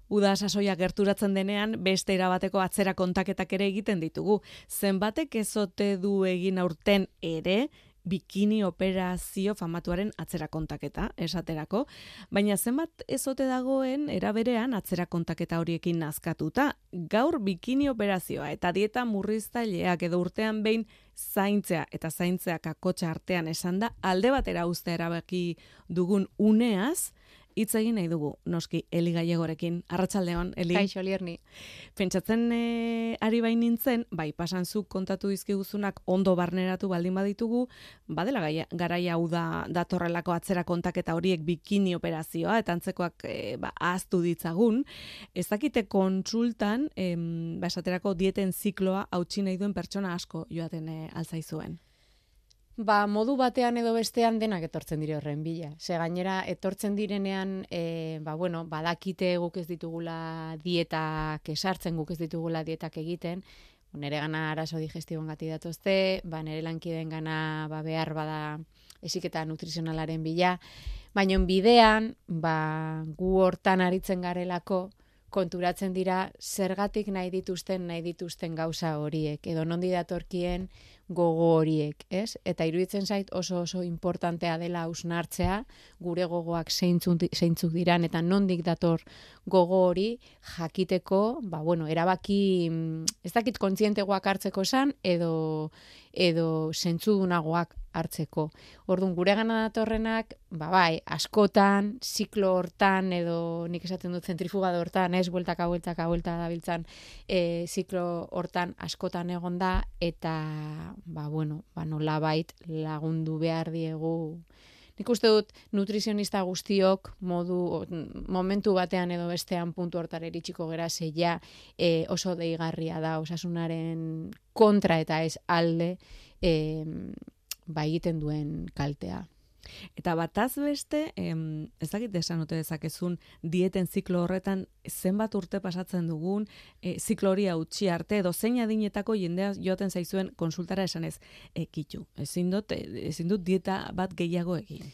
Uda sasoia gerturatzen denean, beste erabateko atzera kontaketak ere egiten ditugu. Zenbatek ezote du egin aurten ere, bikini operazio famatuaren atzera kontaketa, esaterako, baina zenbat ezote dagoen eraberean atzera kontaketa horiekin nazkatuta. Gaur bikini operazioa eta dieta murriztaileak edo urtean behin zaintzea eta zaintzeak akotsa artean esan da, alde batera uztea erabaki dugun uneaz, hitz egin nahi dugu, noski, Eli Gallegorekin. Arratsaldeon, Eli. Kaixo, Lierni. Pentsatzen ari bain nintzen, bai, pasan zuk kontatu dizkiguzunak ondo barneratu baldin baditugu, badela garaia hau da datorrelako atzera kontaketa horiek bikini operazioa, eta antzekoak ahaztu ditzagun. Ez dakite kontsultan, esaterako dieten zikloa hautsi nahi duen pertsona asko joaten altzaizuen. Modu batean edo bestean denak etortzen dire horren bila. Ze gainera, etortzen direnean, badakite guk ez ditugula dietak esartzen, guk ez ditugula dietak egiten, nire gana arazo digestiboan gati datozte, nire lankideen gana behar bada esiketa nutrizionalaren bila, baina bidean, gu hortan aritzen garelako, konturatzen dira zergatik nahi dituzten gauza horiek, edo nondi datorkien gogo horiek, ez? Eta iruditzen zait oso importantea dela hausnartzea, gure gogoak zeintzuk diran, eta nondik dator gogo hori jakiteko, erabaki, ez dakit kontzientegoak hartzeko esan, edo zentzudunagoak hartzeko. Orduan, gure gana datorrenak, askotan, ziklo hortan, edo nik esaten dut zentrifugado hortan, ez, bueltaka dabiltzan, ziklo hortan askotan egon da, eta, nolabait lagundu behar diegu. Nik uste dut, nutrizionista guztiok momentu batean edo bestean puntu hortara iritsiko gera zeia oso deigarria da, osasunaren kontra eta ez alde egiten duen kaltea. Eta bataz beste, ez dakit esan ote dezakezun dieten ziklo horretan zenbat urte pasatzen dugun, ziklo hori hautsi arte, edo zein adinetako jendea joaten zaizuen konsultara esanez, kitxu, ezin dut dieta bat gehiago egin.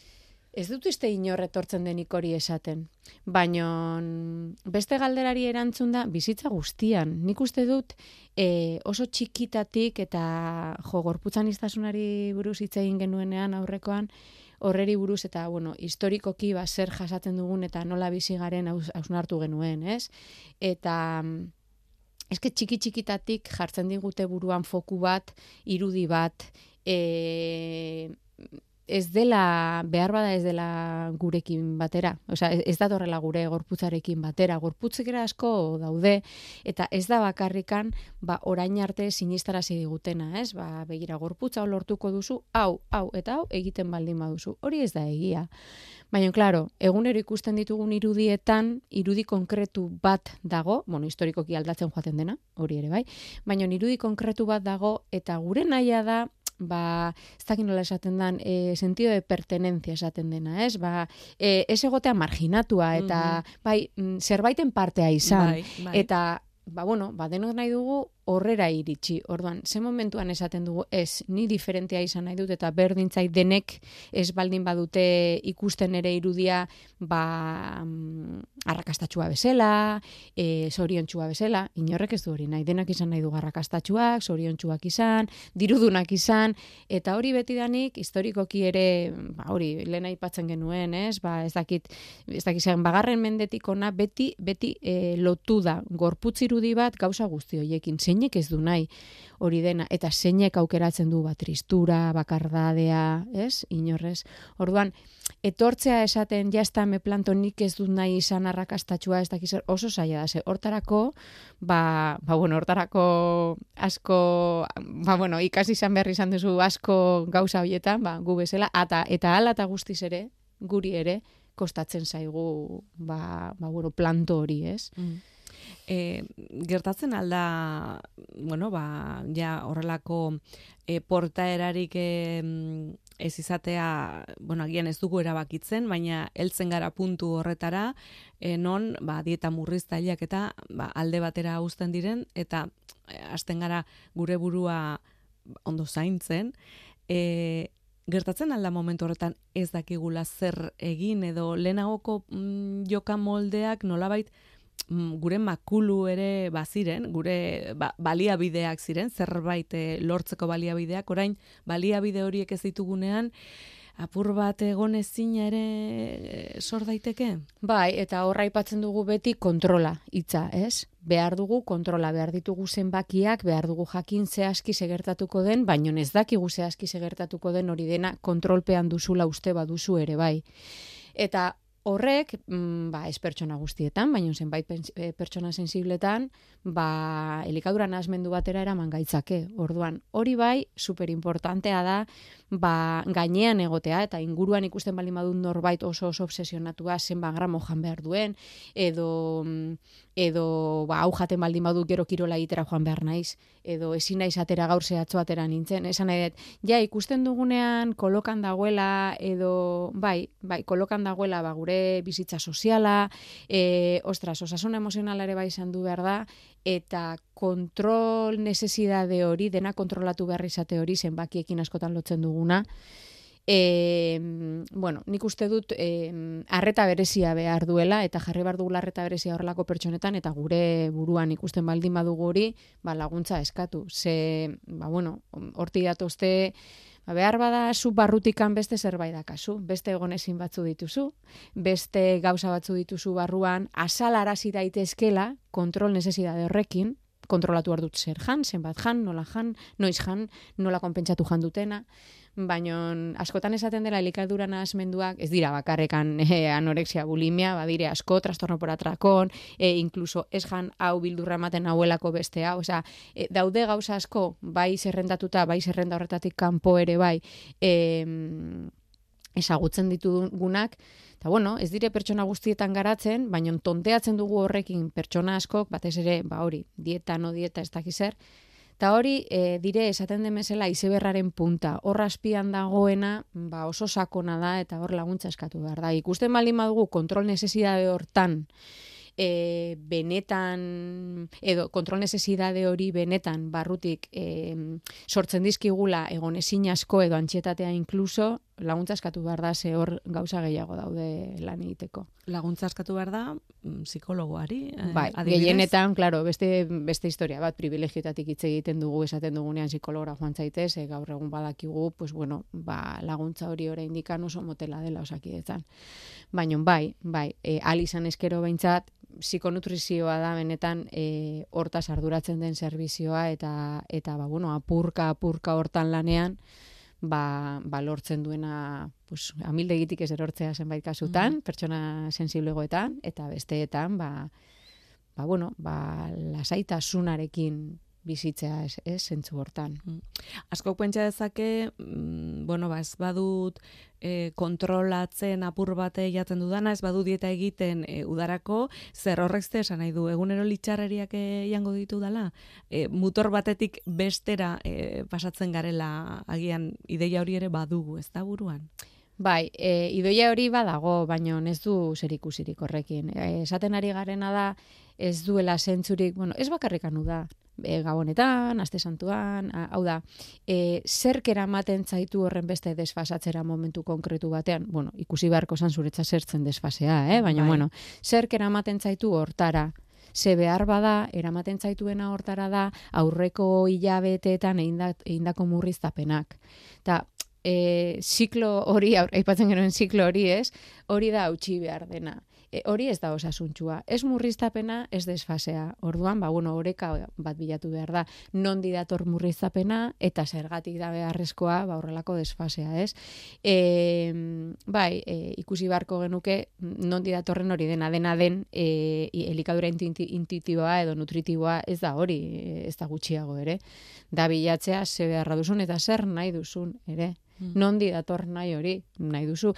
Ez dut uste inor etortzen denik hori esaten, baina beste galderari erantzun da bizitza guztian. Nik uste dut oso txikitatik eta gorputzaniztasunari buruz hitz egin genuenean aurrekoan, horreri buruz eta, historikoki zer jasaten dugun eta nola bizi garen hausnartu genuen, ez? Eta eske txikitatik jartzen digute buruan foku bat, irudi bat, ez dela, behar bada ez dela gurekin batera. Osea, ez datorrela gure gorputzarekin batera. Gorputzekera asko daude, eta ez da bakarrikan, orain arte sinistarazi digutena, ez? Begira, gorputza lortuko duzu, hau, eta hau egiten baldin baduzu. Hori ez da egia. Baina, klaro, egunero ikusten ditugun irudietan, irudi konkretu bat dago, historikoki aldatzen joaten dena, hori ere bai, baina irudi konkretu bat dago, eta gure nahia da, ez dakit nola esaten den, sentido de pertenencia esaten dena, ez? Ez egotea marginatua, eta zerbaiten partea izan, eta denok nahi dugu horrera iritsi. Orduan, ze momentuan esaten dugu, ez, ni diferentea izan nahi dut, eta berdintzait denek ez baldin badute ikusten ere irudia, arrakastatxua bezala, zoriontxua bezala, inorrek ez du hori nahi, denak izan nahi du arrakastatxuak, zoriontxuak izan, dirudunak izan, eta hori betidanik, historikoki ere, hori, lehen aipatzen genuen, ez, ez dakit zen, bagarren mendetik ona, beti lotu da, gorputz irudi bat gauza guzti horiekin, zeinek ez du nahi hori dena, eta zeinek aukeratzen du tristura, bakardadea, ez, inorrez. Orduan, etortzea esaten, jazta me planto nik ez dut nahi izan arrakastatxua, ez dakiz, oso zaila da, hortarako, hortarako asko, ikasi izan behar izan duzu asko gauza horietan, gu bezala, eta hala eta guztiz ere, guri ere, kostatzen zaigu, planto hori, ez? Gertatzen alda, ja horrelako portaerarik ez izatea, agian ez dugu erabakitzen, baina heltzen gara puntu horretara, non dieta murriztaileak eta alde batera uzten diren, eta hasten gara gure burua ondo zaintzen, gertatzen alda momentu horretan ez dakigula zer egin, edo lehenagoko joka moldeak nolabait gure makulu ere baziren, gure baliabideak ziren, zerbait lortzeko baliabideak, orain baliabide horiek ez ditugunean, apur bat egon ezina ere sor daiteke? Bai, eta horra aipatzen dugu beti kontrola hitza, ez? Behar dugu kontrola, behar ditugu zenbakiak, behar dugu jakin zehazki segertatuko den, baino ez dakigu zehazki segertatuko den hori dena kontrolpean duzula uste baduzu ere bai. Eta horrek, ez pertsona guztietan, baina zenbait pertsona sensibletan, elikadura nahasmendu batera eraman gaitzake. Orduan, hori bai, superimportantea da, gainean egotea, eta inguruan ikusten baldin badut norbait oso obsesionatua zenbat gramo jan behar duen, edo hau jaten baldin badut gero kirola egitera joan behar naiz, edo ezin naiz atera gaur zehatzo atera nintzen, esan nahi dut, ikusten dugunean kolokan dagoela, edo kolokan dagoela gure bizitza soziala, osasun emozionala ere bai izan du behar da, eta kontrol necesidade hori, dena kontrolatu behar izate hori, zenbakiekin askotan lotzen duguna, nik uste dut arreta berezia behar duela, eta jarri behar dugula arreta berezia horrelako pertsonetan, eta gure buruan ikusten baldin badugu hori, laguntza eskatu. Horti datozte, behar bada zu barrutikan beste zerbait dakazu, beste egonezin batzu dituzu, beste gauza batzu dituzu barruan, azalarazi daitezkela kontrol necesidade horrekin, kontrolatu behar dut zer jan, zenbat jan, nola jan, noiz jan, nola konpentsatu jan dutena, baina askotan esaten dela elikadura nahasmenduak, ez dira bakarrekan anorexia, bulimia, badire asko, trastorno por atracón, incluso ez jan hau bildurra ematen hauelako beste hau, daude gauza asko, bai zerrendatuta, bai zerrenda horretatik kanpo ere bai, ezagutzen ditugunak, eta ez dire pertsona guztietan garatzen, baina tonteatzen dugu horrekin pertsona askok, batez ere, dieta, no dieta, ez dakiz zer, eta hori, dire, esaten demezela izeberraren punta, hor azpian dagoena, oso sakona da, eta hor laguntza eskatu behar da. Ikusten baldin badugu kontrol necesidade hortan, benetan, edo kontrol necesidade hori benetan barrutik sortzen dizkigula egonezin asko edo antxietatea inkluso, laguntza eskatu behar da, ze hor gauza gehiago daude lan egiteko. Laguntza eskatu behar da, psikologoari, gehienetan, klaro, beste historia bat, privilegioetatik hitz egiten dugu, esaten dugunean psikologora joan zaitez, gaur egun badakigu, laguntza hori oraindik oso motela dela Osakidetzan. Baina izan eskero behintzat, psikonutrizioa da benetan hortaz arduratzen den zerbizioa, eta apurka hortan lanean, lortzen duena amildegitik ez erortzea zenbait kasutan, pertsona sensiblegoetan, eta besteetan, lasaitasunarekin bizitzea ez zentzu hortan. Asko pentsa dezake, ez badut kontrolatzen apur bate jaten dudana, ez badu dieta egiten udarako, zer horrek esan nahi du, egunero litxarreriak jango ditu dala? Mutor batetik bestera pasatzen garela, agian ideia hori ere badugu, ez da buruan? Ideia hori badago, baina ez du zerikusirik horrekin. Esaten ari garena da, ez duela zentzurik, ez bakarrikanu da, gabonetan, aste santuan, hau da, zerk eramaten zaitu horren beste desfasatzera momentu konkretu batean, ikusi beharko zan zuretza zertzen desfasea, baina, zerk eramaten zaitu hortara, ze behar bada, eramaten zaituena hortara da, aurreko hilabeteetan egindako murriztapenak. Eta, ziklo hori, aipatzen genuen ziklo hori hori da hautsi behar dena. Hori ez da osasuntsua. Ez murriztapena, ez desfasea. Orduan, oreka bat bilatu behar da. Nondi dator murriztapena, eta zergatik da beharrezkoa, horrelako desfasea, ez? Ikusi beharko genuke, nondi datorren hori dena den, elikadura intuitiboa edo nutritiboa ez da hori, ez da gutxiago ere. Da bilatzea, ze beharra duzun, eta zer nahi duzun, ere. Nondi dator nahi hori, nahi duzu.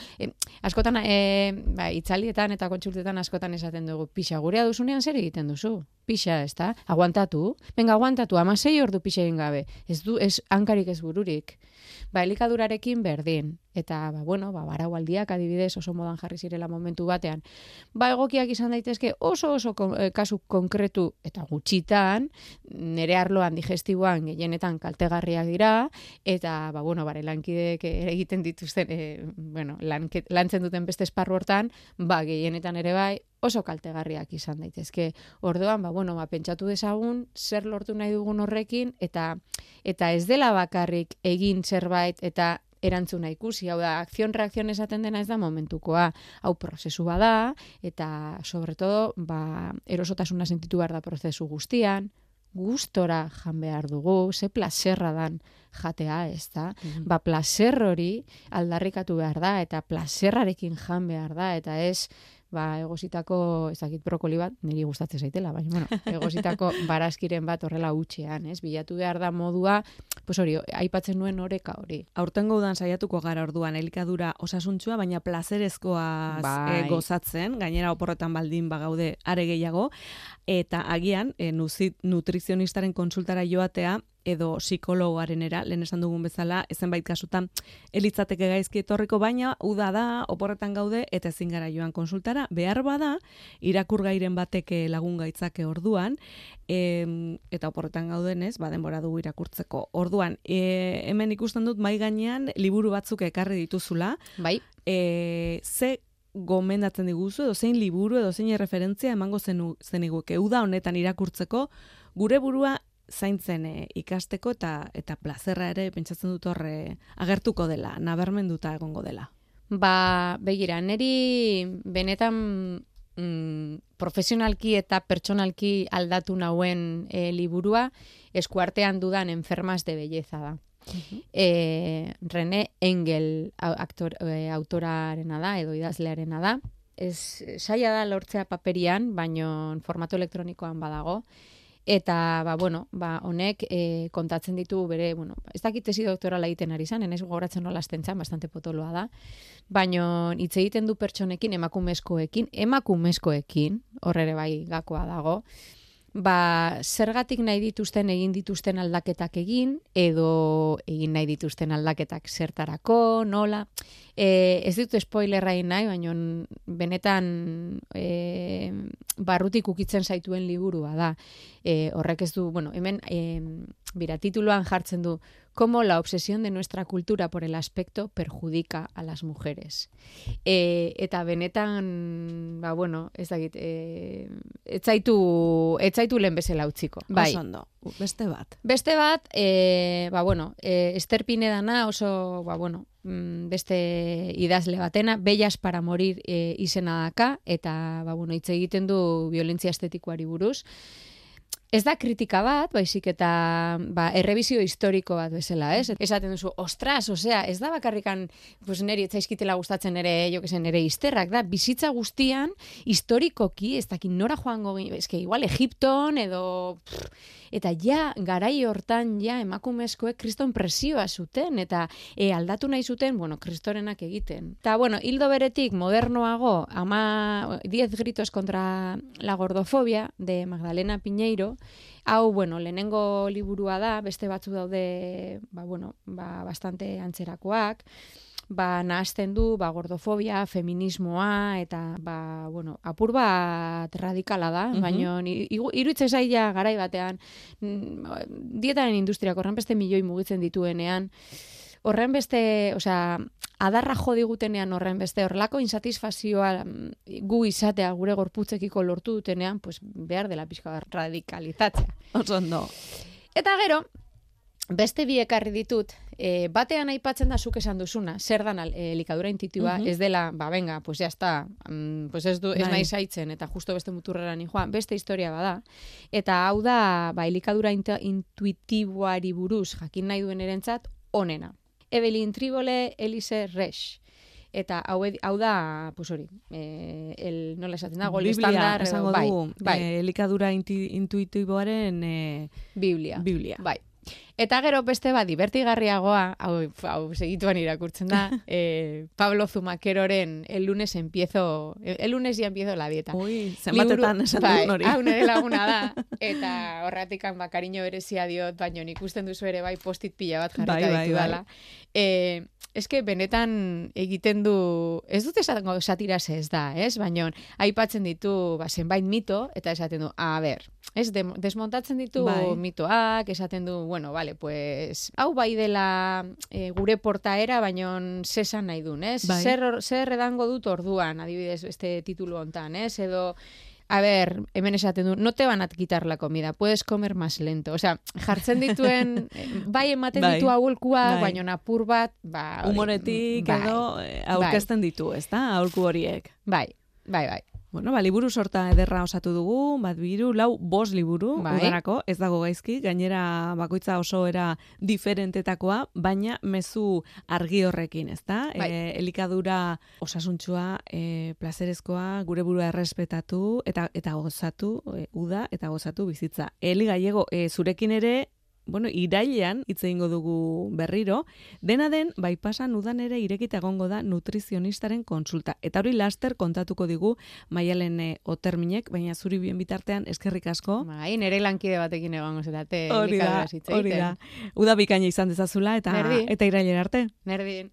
Askotan, itzalietan eta kontsultetan askotan esaten dugu, pixa, gurea duzunean zer egiten duzu? Pixa, ez da? Aguantatu? Venga, aguantatu, 16 ordu pixa egin gabe. Ez hankarik ez bururik. Elikadurarekin berdin. Eta, baraualdiak adibidez oso modan jarri zirela momentu batean. Egokiak izan daitezke oso kasu konkretu eta gutxitan, nere arloan digestiboan gehienetan kaltegarriak dira, eta, lankideek egiten dituzten, lantzen duten beste esparru hortan, gehienetan ere bai, oso kaltegarriak izan daitezke. Orduan, pentsatu dezagun zer lortu nahi dugun horrekin eta ez dela bakarrik egin zerbait eta erantzuna ikusi, hau da, akzion-reakzion esaten dena ez da momentukoa, hau prozesu bada, eta, sobre todo, erosotasuna sentitu behar da prozesu guztian, gustora jan behar dugu, ze plazerra dan jatea, ez da? Plazer hori aldarrikatu behar da, eta plazerrarekin jan behar da, eta ez, egositako, ezakit brokoli bat, niri gustatzen zaitela, baina, egositako barazkiren bat horrela hutxean, ez? Bilatu behar da modua, hori, aipatzen nuen oreka hori. Aurtengo udan saiatuko gara orduan, elikadura osasuntsua, baina plazerezkoa gozatzen, gainera oporretan baldin bagaude are gehiago, eta agian, nutrizionistaren konsultara joatea, edo psikologoarenera, lehen esan dugun bezala, ezenbait kasutan elitzateke gaizki etorriko, baina uda da, oporretan gaude, eta ezin gara joan konsultara, behar bada, irakurgairen batek lagun gaitzake orduan, eta oporretan gaudenez, denbora dugu irakurtzeko. Orduan, hemen ikusten dut mai gainean liburu batzuk ekarri dituzula. Bai. Ze gomendatzen diguzu, edo zein liburu, edo zein referentzia emango zeniguke. Uda honetan irakurtzeko, gure burua zaintzen ikasteko eta plazerra ere pentsatzen dut horre agertuko dela, nabarmenduta egongo dela. Begira, niri benetan profesionalki eta pertsonalki aldatu nauen liburua eskuartean dudan Enfermas de Belleza da. René Engel autorarena da, edo idazlearena da. Saia da lortzea paperian, baino formato elektronikoan badago. Eta, honek kontatzen ditu bere, ez dakit tesi doktorala egiten ari zan, enaiz gogoratzen nola astentzan, bastante potoloa da, baino hitz egiten du pertsonekin, emakumezkoekin, horre ere bai gakoa dago, zergatik nahi dituzten egin dituzten aldaketak egin, edo egin nahi dituzten aldaketak zertarako, nola. Ez ditut spoilerra egin nahi, baina benetan barrutik ukitzen zaituen liburua da. Horrek ez du, hemen tituluan jartzen du cómo la obsesión de nuestra cultura por el aspecto perjudica a las mujeres. Eta benetan, ez dakit, ez zaitu lehen bezala utziko. Oso ondo, beste bat. Beste bat, Ester Pinedana oso, beste idazle batena, Bellas para morir izena daka, eta, hitz egiten du violentzia estetikoari buruz. Ez da kritika bat, baizik eta errebizio historiko bat bezala, ez? Esaten duzu, ostras, ez da bakarrikan, neri etzaizkitela gustatzen ere, nere izterrak, da, bizitza guztian, historikoki, ez dakin nora joango, igual Egipton, edo, eta garai hortan, emakumezkoek kriston presioa zuten, eta aldatu nahi zuten, kristorenak egiten. Eta, hildo beretik, modernoago, 10 gritos contra la gordofobia, de Magdalena Piñeiro, hau, lehenengo liburua da, beste batzu daude, bastante antzerakoak, nahazten du, gordofobia, feminismoa, eta, apur bat radikala da, baina iruditzen zaila garai batean, dietaren industriak horren beste milioi mugitzen dituenean, horren beste, adarra jo digutenean horren beste, horrelako insatisfazioa gu izatea gure gorputzekiko lortu dutenean, behar dela pixka radikalizatzea. Oso ondo. Eta gero, beste bi ekarri ditut, batean aipatzen da zuk esan duzuna, zer dan elikadura intuitiboa, ez dela, ya está, ez nahi zaitzen, eta justo beste muturrera ni joan, beste historia bada, eta hau da, elikadura intuitiboari buruz jakin nahi duen erentzat, onena. Evelyn Tribole, Elise Resch. Eta hau da, nola esaten da, gol estandar. Biblia, esango dugu, elikadura intuitiboaren Biblia. Bai. Eta gero beste divertigarriagoa, hau segituan irakurtzen da, Pablo Zumakeroren el lunes ya empiezo la dieta. Ui, zenbatetan esan duen hori. Hau nire laguna da, eta horratikan kariño berezia diot, baina ikusten duzu ere post-it pila bat jarrita ditu dala. Eske benetan egiten du, ez dut esango satiraz ez da, baina aipatzen ditu zenbait mito, eta esaten du, desmontatzen ditu mitoak, esaten du, vale, pues, hau bai dela gure portaera, baino zesan nahi duen, ez? Bai. Zer edango dut orduan, adibidez, este titulu hontan, ez? Edo, a ver, hemen esaten du, no te van a quitar la comida, puedes comer más lento. O sea, jartzen dituen, bai ematen ditu aholkua, baino apur bat, humoretik edo aurkezten ditu, ez da, aholku horiek. Bai. Bueno, liburu sorta ederra osatu dugu, 1, 2, 3, 4, 5 liburu, udarako, ez dago gaizki, gainera bakoitza oso era diferentetakoa, baina mezu argi horrekin, ez da? Elikadura osasuntsua, plazerezkoa, gure burua errespetatu, eta gozatu, uda, eta gozatu bizitza. Eli Gallego, zurekin ere, irailean hitz egingo dugu berriro, dena den, bai pasan udan ere irekita egongo da nutrizionistaren konsulta. Eta hori laster kontatuko digu Maialen Oterminek, baina zuri bien bitartean eskerrik asko. Bai, nere lankide batekin egongo zetate. Hori da. Uda bikaina izan dezazula eta irailera arte. Nerdin.